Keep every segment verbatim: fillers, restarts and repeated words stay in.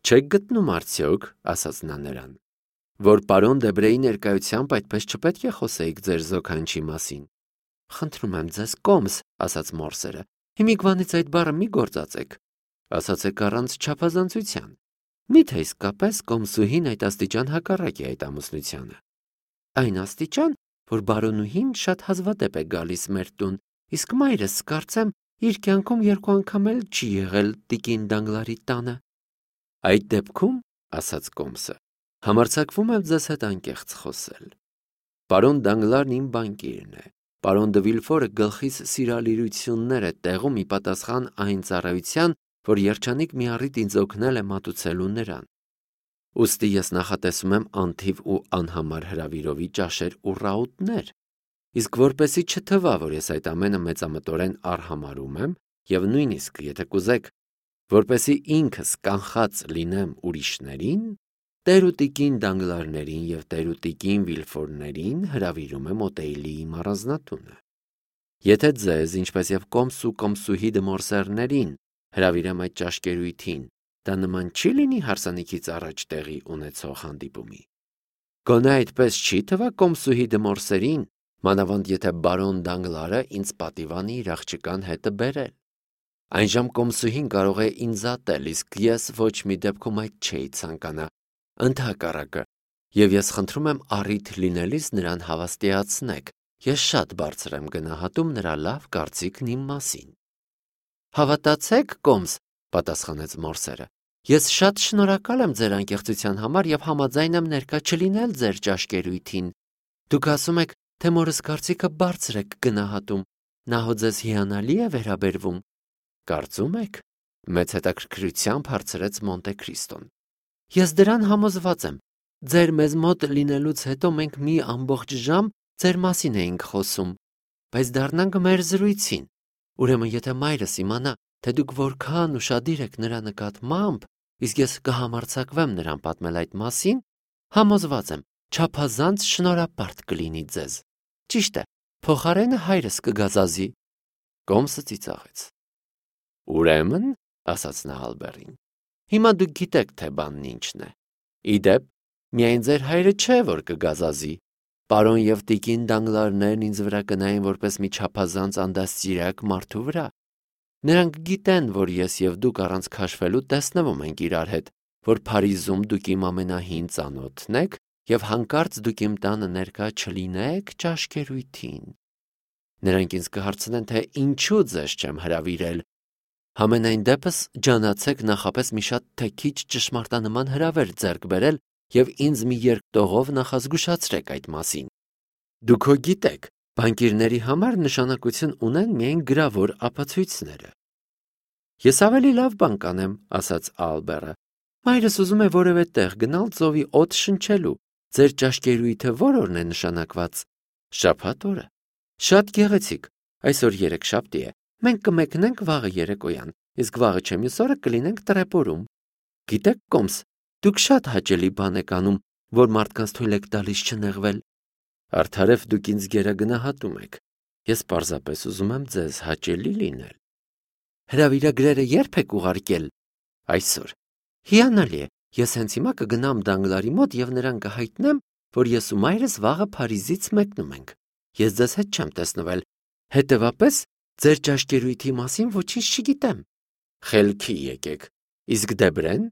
Չեք գտնում արդյոք, ասաց նա նրան, որ պարոն Դեբրեի ներկայությամբ այդպես չպետք է խոսեիք ձեր զոքանչի մասին։ Խնդրում եմ ձեզ, կոմս, ասաց մորսերը, հիմիկվանից այդ բառը մի գործածեք, ասացեք առանց չափազանցության։ Միթե իսկապես կոմսուհին այդ աստիճան հակառակ է այդ ամուսնությանը։ Այն աստիճան, որ բարոնուհին շատ հազվադեպ է գալիս մեր տուն, իսկ մայրս, կարծեմ, իր կյանքում երկու անգամ էլ չի եղել տիկին Դանգլարի տանը։ Այդ դեպքում, ասաց կոմսը, համարձակվում եմ ձեզ հետ անկեղծ խոսել։ Պարոն Դանգլարն իմ բանկիրն է։ Պարոն Դը Վիլֆորը գլխիս սիրալիրություններ է տեղում ի պատասխան այն ծառայության, որ երջանիկ մի առիթ ինձ օգնել է մատուցելու նրան։ Ուստի ես նախատեսում եմ անթիվ ու անհամար հրավիրովի ճաշեր ու ռաուտներ, իսկ որպեսի չթվա, որ ես այդ ամենը մեծամտորեն արհամարում եմ, եւ նույնիսկ, եթե կուզեք, որպեսի ինքս կանխած լինեմ ուրիշներին, տերուտիկին Դանգլարներին եւ տերուտիկին Վիլֆորներին հրավիրում եմ Օտեյլիի առանձնատունը։ Եթե ձեզ, ինչպես եւ կոմս ու կոմսուհի դմորսերներին, հրավիրեմ այդ ճաշկերույթին, դա նման չի լինի հարսանիքից առաջ տեղի ունեցող հանդիպումի։ Գոնե այդպես չի թվա կոմսուհի դմորսերին, մանավանդ եթե բարոն Դանգլարը ինձ պատիվանի իր աղջկան հետը բերել։ Այնժամ կոմսուհին կարող է ինձ ատել, իսկ ես ոչ մի դեպքում այդ չէի ցանկանա, ընդհակառակը, եւ ես խնդրում եմ առիթ լինելիս նրան հավաստիացնեք, ես շատ բարձր եմ գնահատում նրա լավ կարծիքն իմ մասին։ Հավատացեք, կոմս, պատասխանեց մորսերը, ես շատ շնորհակալ եմ ձեր անկեղծության համար եւ համաձայն եմ ներկա չլինել ձեր ճաշկերույթին։ Դուք ասում եք, թե մորս կարծիքը բարձր եք գնահատում, նա հո ձեզ հիանալի է վերաբերվում։ Կարծում եք, մեծ հետաքրքրությամբ հարցրեց Մոնտե Քրիստոն։ Ես դրան համոզված եմ։ Ձեր մեզ մոտ լինելուց հետո մենք մի ամբողջ ժամ ձեր մասին էինք խոսում, բայց դառնանք մեր զրույցին։ Ուրեմն եթե մայրս իմանա, թե դուք որքան ուշադիր եք նրա նկատմամբ, իսկ ես կհամարձակվեմ նրան պատմել այդ մասին, համոզված եմ, չափազանց շնորհապարտ կլինի ձեզ։ Ճիշտ է, փոխարենը հայրս կգազազի։ Կոմսը ծիծաղեց։ Ուրեմն, ասաց նա Ալբերին, հիմա դուք գիտեք, թե բանն ինչն է։ Իդեպ, միայն ձեր հայրը չէ, որ կգազազի։ Պարոն եւ տիկին Դանգլարներն ինձ վրա կնային որպես մի չափազանց անդաստիարակ մարդու վրա։ Նրանք գիտեն, որ ես եւ դուք առանց քաշվելու տեսնվում ենք իրար հետ, որ Փարիզում դուք իմ ամենահին ծանոթն եք եւ հանկարծ դուք իմ տանը ներկա չլինեք ճաշկերույթին։ Նրանք ինձ կհարցնեն, թե ինչու ձեզ չեմ հրավիրել։ Համենայն դեպս ջանացեք նախապես մի շատ թեքիչ ճշմարտանման հրավեր ձեռք բերել եւ ինձ մի երկտողով նախազգուշացրեք այդ մասին։ Դուք հո գիտեք, բանկիրների համար նշանակություն ունեն միայն գրավոր ապացույցները։ Ես ավելի լավ բան կանեմ, ասաց Ալբերը։ Մայրս ուզում է որևէ տեղ գնալ ծովի օդ շնչելու։ Ձեր ճաշկերույթը ո՞ր օրն է նշանակված։ Շաբաթ օրը։ Շատ գեղեցիկ։ Այսօր երեքշաբթի է։ Մենք կմեկնենք վաղը երեկոյան, իսկ վաղը չէ մյուս օրը կլինենք Տրեպորում։ Գիտեք, կոմս, դուք շատ հաճելի բան եք անում, որ մարդկանց թույլ եք տալիս չնեղվել։ Արդարև դուք ինձ գերագնահատում եք։ Ես պարզապես ուզում եմ ձեզ հաճելի լինել։ Հրավիրագրերը ե՞րբ եք ուղարկել։ Այսօր։ Հիանալի է։ Ես հենց հիմա կգնամ Դանգլարի մոտ եւ նրան կհայտնեմ, որ ես ու մայրս վաղը Փարիզից մեկնում ենք։ Ես ձեզ հետ չեմ տեսնվել։ Հետևաբար, ձեր ճաշկերույթի մասին ոչինչ չգիտեմ։ Խելքի եկեք։ Իսկ Դեբրեն,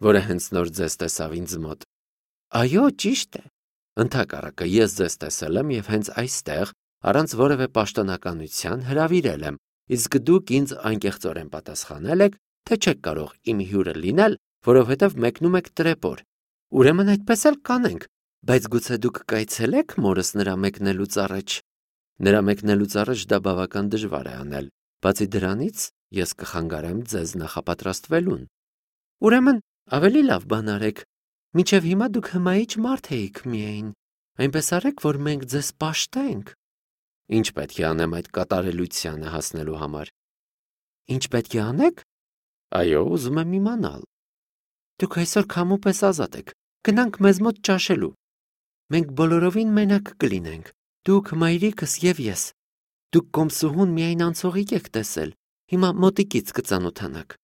որը հենց նոր ձեզ տեսավ ինձ մոտ։ Այո, ճիշտ է։ Ընդհակառակը ես ձեզ տեսել եմ եւ հենց այստեղ, առանց որևէ պաշտոնականության հրավիրել եմ, իսկ դուք ինձ անկեղծորեն պատասխանել եք, թե չեք կարող իմ հյուրը լինել, որովհետեւ մեկնում եք Տրեպոր։ Ուրեմն այդպես էլ կանենք, բայց գուցե դուք կայցելեք մորս նրա մեկնելուց առաջ։ Նրա մեկնելուց առաջ դա բավական դժվար է անել, բացի դրանից ես կխանգարեմ ձեզ նախապատրաստվելուն։ Ուրեմն ավելի լավ բան արեք։ Մինչև հիմա դուք հմայիչ մարդ էիք միայն։ Այնպես արեք, որ մենք ձեզ պաշտենք։ Ինչ պետք է անեմ այդ կատարելությանը հասնելու համար։ Ինչ պետք է անեք։ Այո, ուզում եմ իմանալ։ Դուք այսօր քամուպես ազատ եք։ Գնանք մեզ մոտ ճաշելու։ Մենք բոլորովին մենակ կլինենք։ Դուք, մայրիկս եւ ես։ Դուք կոմսուհուն միայն անցողիկ եք տեսել։ Հիմա մոտիկից կծանոթանաք։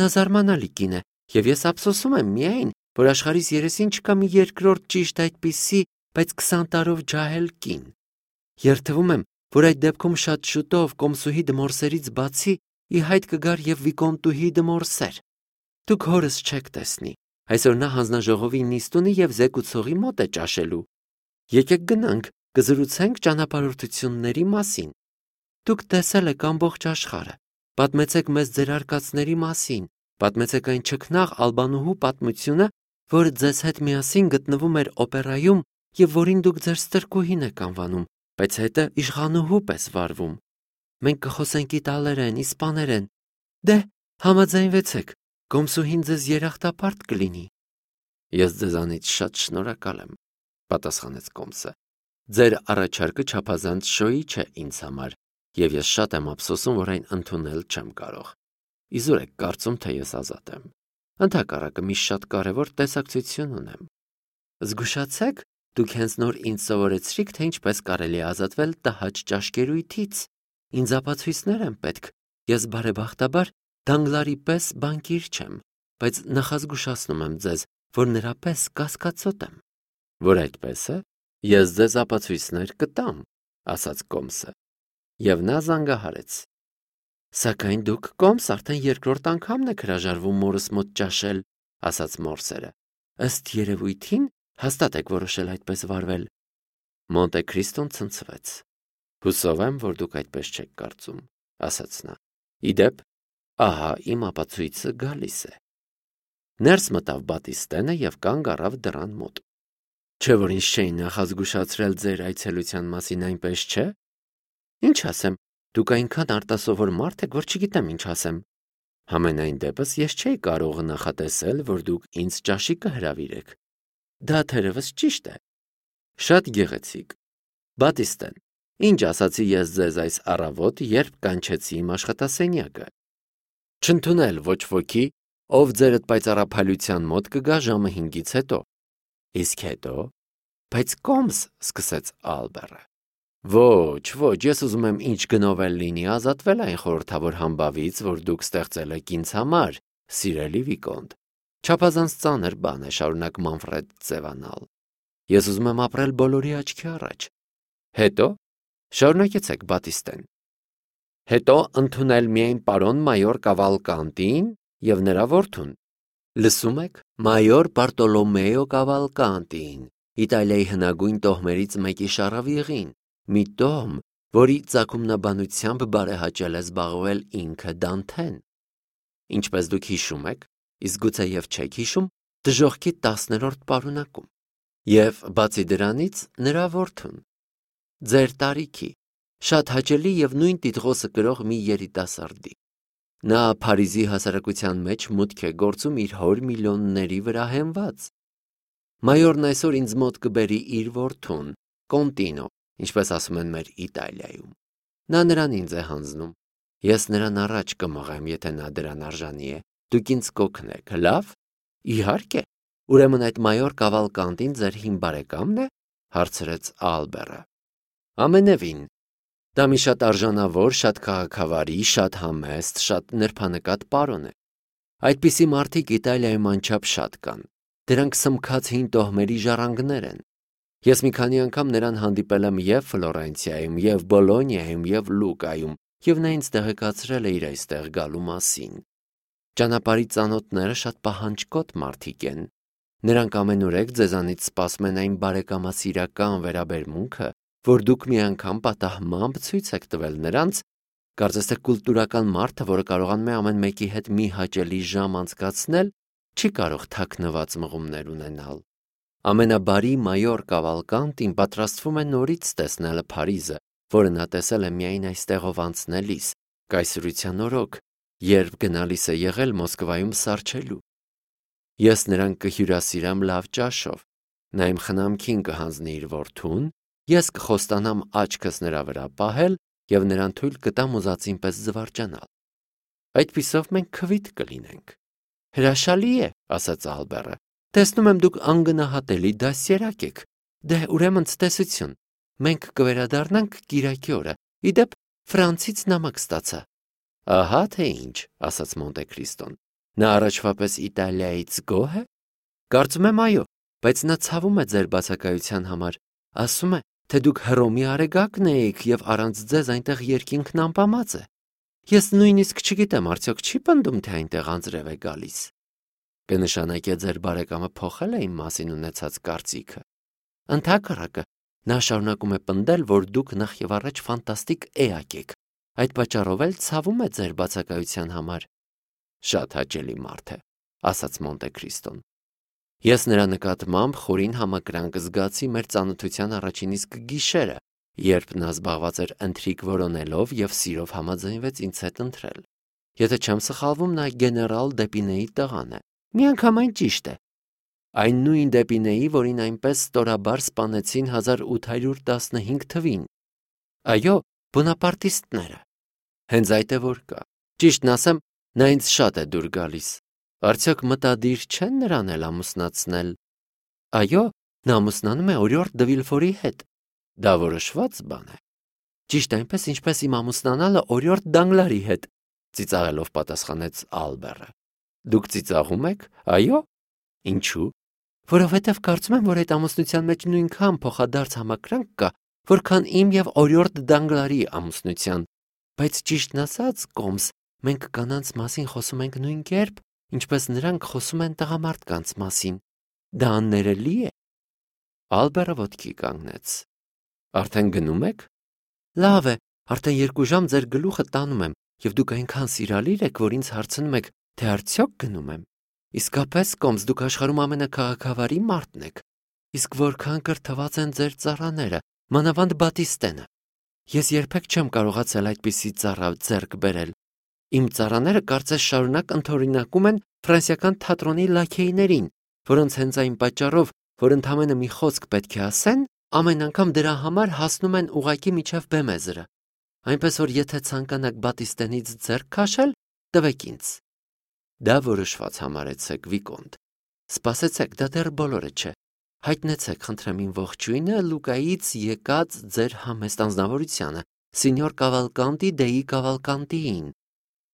Նա զարմանալի կին է Եվ ես ափսոսում եմ միայն, որ աշխարհիս երեսին չկա մի երկրորդ ճիշտ այդպիսի, բայց քսան տարով ջահել կին։ Երդվում եմ, որ այդ դեպքում շատ շուտով կոմսուհի դմորսերից բացի ի հայտ կգար եւ վիկոնտուհի դմորսեր։ Դուք հորս չեք տեսնի։ Այսօր նա հանձնաժողովի նիստունի եւ զեկուցողի մոտ է ճաշելու։ Եկեք գնանք, կզրուցենք ճանապարհորդությունների մասին։ Դուք տեսել եք ամբողջ աշխարհը։ Պատմեցեք մեզ ձեր արկածների մասին, պատմեցեք այն չքնաղ ալբանուհու պատմությունը, որը ձեզ հետ միասին գտնվում էր օպերայում եւ որին դուք ձեր ստրկուհին եք անվանում, բայց հետը իշխանուհու պես վարվում։ Մենք կխոսենք իտալերեն, իսպաներեն։ Դե, համաձայնվեցեք, կոմսուհին ձեզ երախտապարտ կլինի։ Ես ձեզանից շատ շնորհակալ եմ, պատասխանեց կոմսը։ Ձեր առաջարկը չափազանց շոյի չէ ինձ համար, եւ ես շատ եմ ափսոսում, որ այն ընդունել չեմ կարող։ Իզուր եք կարծում, թե ես ազատ եմ։ Ընդհակառակը մի շատ կարևոր տեսակցություն ունեմ։ Զգուշացեք, դուք հենց նոր ինձ սովորեցրիք, թե ինչպես կարելի է ազատվել տհաճ ճաշկերույթից։ Ինձ ապացույցներ են պետք։ Ես բարեբախտաբար Դանգլարի պես բանկիր չեմ, բայց նախազգուշացնում եմ ձեզ, որ նրա պես կասկածոտ եմ։ Որ այդպես է, ես ձեզ ապացույցներ կտամ, ասաց կոմսը։ Եվ նա զանգահարեց։ Սակայն դուք կոմս արդեն երկրորդ անգամն եք հրաժարվում մորս մոտ ճաշել, ասաց մորսերը։ Ըստ երևույթին հաստատ եք որոշել այդպես վարվել։ Մոնտե Քրիստոն ցնցվեց։ Հուսով եմ, որ դուք այդպես չեք կարծում, ասաց նա։ Իդեպ, ահա իմ ապացույցը գալիս է։ Ներս մտավ Բատիստենը եւ կանգ առավ դռան մոտ։ Չէ՞ որ ինձ չէին նախազգուշացրել ձեր այցելության մասին, այնպես չէ։ Ինչ ասեմ, դուք այնքան արտասովոր մարդ եք, որ չգիտեմ ինչ ասեմ։ Համենայն դեպս ես չէի կարող նախատեսել, որ դուք ինձ ճաշի կհրավիրեք։ Դա թերևս ճիշտ է։ Շատ գեղեցիկ։ Բատիստեն, ինչ ասացի ես ձեզ այս առավոտ, երբ կանչեցի իմ աշխատասենյակը։ Չընդունել ոչ ոքի, ով ձերդ պայծառափայլության մոտ կգա ժամը հինգից հետո։ Իսկ հետո, բայց կոմս, սկսեց Ալբերը։ Ոչ, ոչ, ես ուզում եմ ինչ գնով էլ լինի ազատվել այն խորհրդավոր համբավից, որ դուք ստեղծել եք ինձ համար, սիրելի վիկոնտ։ Չափազանց ծանր բան է շարունակ Մանֆրեդ ձևանալ։ Ես ուզում եմ ապրել բոլորի աչքի առաջ։ Հետո, շարունակեցեք Բատիստեն։ Հետո ընդունել միայն պարոն մայոր Կավալկանտին եւ նրա որդուն։ Լսում եք, մայոր Բարտոլոմեո Կավալկանտին, Իտալիայի հնագույն տոհմերից մեկի շառավիղին, մի տոհմ, որի ծագումնաբանությամբ բարեհաճել է զբաղվել ինքը Դանթեն։ Ինչպես դուք հիշում եք, իսկ գուցե եւ չեք հիշում, դժոխքի տասներորդ պարունակում։ Եվ բացի դրանից նրա որդուն։ Ձեր տարիքի, շատ հաճելի եւ նույն տիտղոսը կրող մի երիտասարդի։ Նա Փարիզի հասարակության մեջ մուտք է գործում իր հոր միլիոնների վրա հենված։ Մայորն այսօր ինձ մոտ կբերի իր որդուն, Կոնտինո, ինչպես ասում են մեր Իտալիայում։ Նա նրան ինձ է հանձնում։ Ես նրան առաջ կմղեմ, եթե նա դրան արժանի է։ Դուք ինձ կօգնեք, լավ։ Իհարկե։ Ուրեմն այդ մայոր Կավալկանտին ձեր հին բարեկամն է, հարցրեց Ալբերը։ Ամենևին։ Դա մի շատ արժանավոր, շատ քաղաքավարի, շատ համեստ, շատ նրբանկատ պարոն է։ Այդպիսի մարդիկ Իտալիայում անչափ շատ կան։ Դրանք սմքած հին տոհմերի ժառանգներ են։ Ես մի քանի անգամ նրան հանդիպել եմ եւ Ֆլորենցիայում, եւ Բոլոնիայում, եւ Լուկայում, եւ նա ինձ տեղեկացրել է իր այստեղ գալու մասին։ Ճանապարհի ծանոթները շատ պահանջկոտ մարդիկ են։ Նրանք ամենուրեք ձեզանից սպասում են այն բարեկամասիրական վերաբերմունքը, որ դուք մի անգամ պատահմամբ ցույց եք տվել նրանց, կարծես թե կուլտուրական մարդը, որը կարողանում է ամեն մեկի հետ մի հաճելի ժամ անցկացնել, չի կարող թաքնված մղումներ ունենալ։ Ամենաբարի մայոր Կավալկանտին պատրաստվում է նորից տեսնել Փարիզը, որը նա տեսել է միայն այստեղով անցնելիս, կայսրության օրոք, երբ գնալիս է եղել Մոսկվայում սառչելու։ Ես նրան կհյուրասիրեմ լավ ճաշով, նա իմ խնամքին կհանձնի իր որդուն, ես կխոստանամ աչքս նրա վրա պահել եւ նրան թույլ կտամ ուզածին պես զվարճանալ։ Այդպիսով մենք քվիթ կլինենք։ Հրաշալի է, ասաց Ալբերը։ Տեսնում եմ դուք անգնահատելի դասերակ եք։ Դե ուրեմն ցտեսություն։ Մենք կվերադառնանք կիրակի օրը։ Իդեպ Ֆրանցից նամակ ստացա։ Ահա թե ինչ, ասաց Մոնտե Քրիստոն։ Նա առաջվա պես Իտալիայից գոհ է։ Կարծում եմ այո, բայց նա ցավում է ձեր բացակայության համար, ասում է, թե դուք Հռոմի արեգակն էիք և առանց ձեզ այնտեղ երկինքն անպամած է։ Ես նույնիսկ չգիտեմ, արդյոք չի պնդում, թե այնտեղ անձրև է գալիս։ Կնշանակե ձեր բարեկամը փոխել է իմ մասին ունեցած կարծիքը։ Ընդհակառակը, նա շարունակում է պնդել, որ դուք նախ եւ առաջ ֆանտաստիկ էակ եք, այդ պատճառով էլ ցավում է ձեր բացակայության համար։ Շատ հաճելի մարդ է, ասաց Մոնտե Քրիստոն։ Ես նրա նկատմամբ խորին համակրանք զգացի մեր ծանոթության առաջին իսկ գիշերը, երբ նա զբաղված էր ընթրիք որոնելով և սիրով համաձայնվեց ինձ հետ ընթրել։ Եթե չեմ սխալվում, նա գեներալ Դեպինեի տղան է։ Միանգամայն ճիշտ է։ Այն նույն Դեպինեի, որին այնպես ստորաբար սպանեցին հազար ութ հարյուր տասնհինգ թվին։ Այո, բոնապարտիստները։ Հենց այդ է որ կա։ Ճիշտն ասեմ, նա ինձ շատ է դուր գալիս։ Արդյոք մտադիր չեն նրան էլ ամուսնացնել։ Այո, նա ամուսնանում է օրիորդ դը Վիլֆորի հետ։ Դա որոշված բան է։ Ճիշտ այնպես, ինչպես իմ ամուսնանալը օրիորդ Դանգլարի հետ, ծիծաղելով պատասխանեց Ալբերը։ Դուք ծիծաղում եք, այո։ Ինչու։ Որովհետև կարծում եմ, որ այդ ամուսնության մեջ նույնքան փոխադարձ համակրանք կա, որքան իմ և օրիորդ Դանգլարի ամուսնության, բայց ճիշտն ասած, Կոմս, մենք կանանց մասին խոսում ենք նույն կերպ, ինչպես նրանք խոսում են տղամարդկանց մասին։ Դա աններելի է։ Ալբերը ոտքի կանգնեց։ Արդեն գնում եք։ Լավ է, արդեն երկու ժամ ձեր գլուխը տանում եմ, և դուք այնքան սիրալիր եք, որ ինձ հարցնում եք, թե արդյոք գնում եմ։ Իսկապես, Կոմս, դուք աշխարհում ամենաքաղաքավարի մարդն եք։ Իսկ որքան կրթված են ձեր ծառաները, մանավանդ Բատիստենը։ Ես երբեք չեմ կարողացել այդպիսի ծառա ձեռք բերել։ Իմ ծառաները կարծես շարունակ ընդօրինակում են ֆրանսիական թատրոնի լաքեյներին, որոնց հենց այն պատճառով, որ ընդամենը մի խոսք պետք է ասեն, ամեն անգամ դրա համար հասնում են ուղղակի միջև բեմեզրը։ Այնպես որ եթե ցանկանաք Բատիստենից ձեռք քաշել, տվեք ինձ։ Դա որոշված համարեցեք, Վիկոնտ։ Սպասեցեք, դա դեռ բոլորը չէ։ Հայտնեցեք, խնդրեմ իմ ողջույնը Լուկայից եկած ձեր համեստ անձնավորությանը, Սինյոր Կավալկանտի Դեի Կավալկանտիին։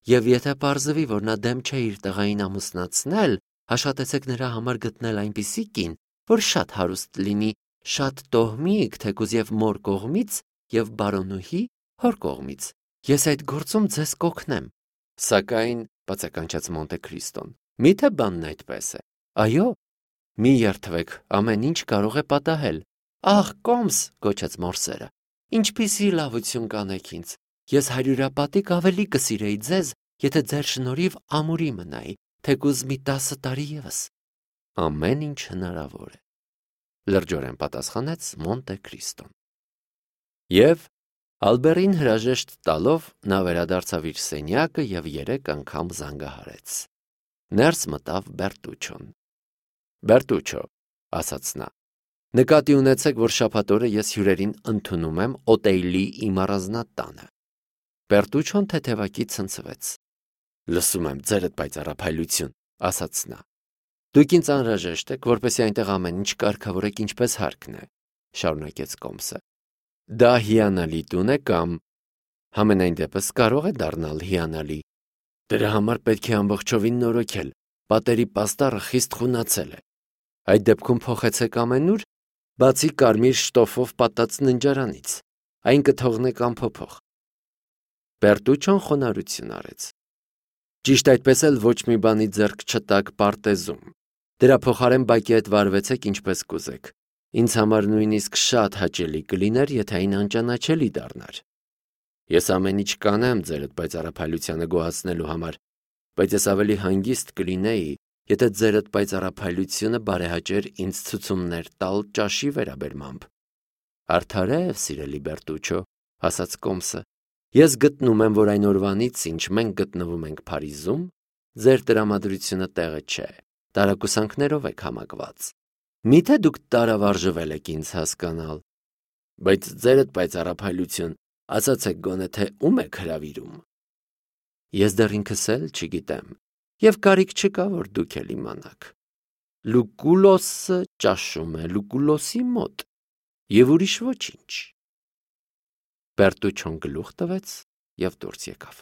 Եվ եթե պարզվի, որ նա դեմ չէ իր տղային ամուսնացնել, աշխատեցեք նրա համար գտնել այնպիսի կին, որ շատ հարուստ լինի, շատ տոհմիկ, թեկուզ և մոր կողմից, և բարոնուհի հոր կողմից։ Ես այդ գործում ձեզ կօգնեմ։ Սակայն, բացականչեց Մոնտե Քրիստոն, միթե բանն այդպես է։ Այո, մի երդվեք, ամեն ինչ կարող է պատահել։ Ահ, Կոմս, գոչեց մորսերը, ինչպիսի լավություն կանեք ինձ։ Ես հարյուրապատիկ ավելի կսիրեի ձեզ, եթե ձեր շնորհիվ ամուրի մնայի, թեկուզ մի տասը տարի ևս։ Ամեն ինչ հնարավոր է, լրջորեն պատասխանեց Մոնտե Քրիստոն։ Եվ Ալբերին հրաժեշտ տալով նա վերադարձավ իր սենյակը և երեք անգամ զանգահարեց։ Ներս մտավ Բերտուչոն։ Բերտուչո, ասաց նա, նկատի ունեցեք, որ շաբաթ օրը ես հյուրերին ընդունում եմ Օտեյլի իմ առանձնատանը։ Բերտուչոն թեթևակի ցնցվեց։ Լսում եմ ձերդ պայծառափայլություն, ասաց նա։ Դուք ինձ անհրաժեշտ եք, որպեսզի այնտեղ ամեն ինչ կարգավորեք ինչպես հարկն է, շարունակեց Կոմսը։ Դա հիանալի տուն է կամ համենայն դեպս կարող է դառնալ հիանալի։ Դրա համար պետք է ամբողջովին նորոգել։ Պատերի պաստառը խիստ խունացել է։ Այդ դեպքում փոխեցեք ամենուր, բացի կարմիր շտոֆով պատած ննջարանից։ Այն կթողնեք անփոփոխ։ Բերտուչոն խոնարհություն արեց։ Ճիշտ այդպես էլ ոչ մի բանի ձեռք չտաք պարտեզում։ Դրա փոխարեն բակի հետ վարվեցեք ինչպես կուզեք։ Ինձ համար նույնիսկ շատ հաճելի կլիներ, եթե այն անճանաչելի դառնար։ Ես ամեն ինչ կանեմ ձերդ պայծառափայլությանը գոհացնելու համար, բայց ես ավելի հանգիստ կլինեի, եթե ձերդ պայծառափայլությունը բարեհաճեր ինձ ցուցումներ տալ ճաշի վերաբերմամբ։ Արդարև, սիրելի Բերտուչո, ասաց Կոմսը, ես գտնում եմ, որ այն օրվանից, ինչ մենք գտնվում ենք Փարիզում, ձեր տրամադրությունը տեղը չէ, տարակուսանքներով եք համակված։ Միթե դուք տարավարժվել եք ինձ հասկանալ։ Բայց ձերդ պայծառափայլություն, ասացեք գոնե թե ում եք հրավիրում։ Ես դեռ ինքս էլ չգիտեմ, և կարիք չկա, որ դուք էլ իմանաք։ Լուկուլոսը ճաշում է Լուկուլոսի մոտ, և ուրիշ ոչինչ։ Բերտուչոն գլուխ տվեց և դուրս եկավ։